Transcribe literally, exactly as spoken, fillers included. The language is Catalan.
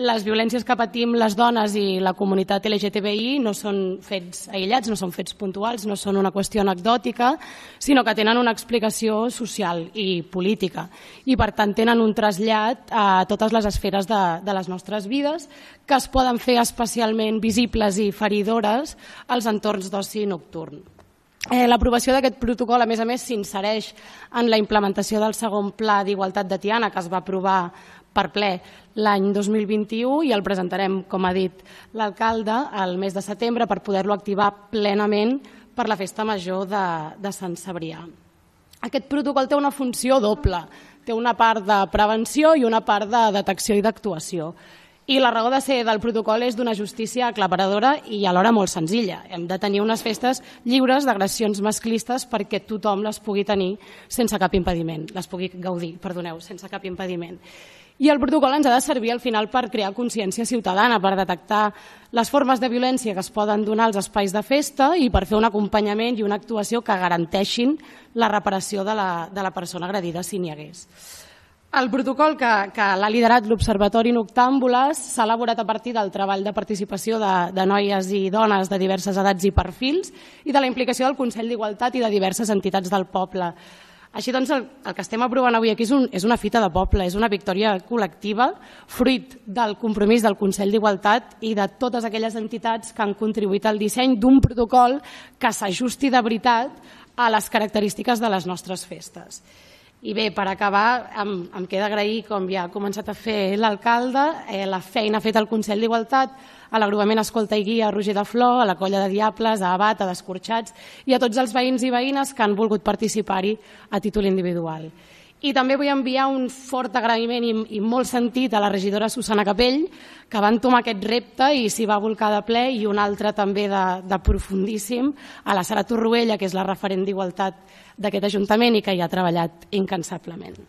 les violències que patim les dones i la comunitat L G T B I no són fets aïllats, no són fets puntuals, no són una qüestió anecdòtica, sinó que tenen una explicació social i política i per tant tenen un trasllat a totes les esferes de, de les nostres vides que es poden fer especialment visibles i feridores als entorns d'oci nocturn. Eh, L'aprovació d'aquest protocol, a més a més, s'insereix en la implementació del segon Pla d'Igualtat de Tiana, que es va aprovar per ple l'any dos mil vint-i-u i el presentarem, com ha dit l'alcalde, al mes de setembre per poder-lo activar plenament per la festa major de, de Sant Cebrià. Aquest protocol té una funció doble, té una part de prevenció i una part de detecció i d'actuació. I la raó de ser del protocol és d'una justícia aclaparadora i alhora molt senzilla. Hem de tenir unes festes lliures d'agressions masclistes perquè tothom les pugui tenir sense cap impediment, les pugui gaudir, perdoneu, sense cap impediment. I el protocol ens ha de servir al final per crear consciència ciutadana, per detectar les formes de violència que es poden donar als espais de festa i per fer un acompanyament i una actuació que garanteixin la reparació de la, de la persona agredida si n'hi hagués. El protocol que, que l'ha liderat l'Observatori Noctàmbules s'ha elaborat a partir del treball de participació de, de noies i dones de diverses edats i perfils i de la implicació del Consell d'Igualtat i de diverses entitats del poble. Així doncs, el, el que estem aprovant avui aquí és, un, és una fita de poble, és una victòria col·lectiva, fruit del compromís del Consell d'Igualtat i de totes aquelles entitats que han contribuït al disseny d'un protocol que s'ajusti de veritat a les característiques de les nostres festes. I bé, per acabar, em, em queda agrair, com ja ha començat a fer l'alcalde, eh, la feina feta al Consell d'Igualtat, a l'agrupament Escolta i Guia, a Roger de Flor, a la Colla de Diables, a Abat, a Descorxats i a tots els veïns i veïnes que han volgut participar-hi a títol individual. I també vull enviar un fort agraïment i, i molt sentit a la regidora Susana Capell, que va entomar aquest repte i s'hi va volcar de ple, i un altre també de, de profundíssim, a la Sara Torroella, que és la referent d'Igualtat d'aquest Ajuntament i que hi ha treballat incansablement.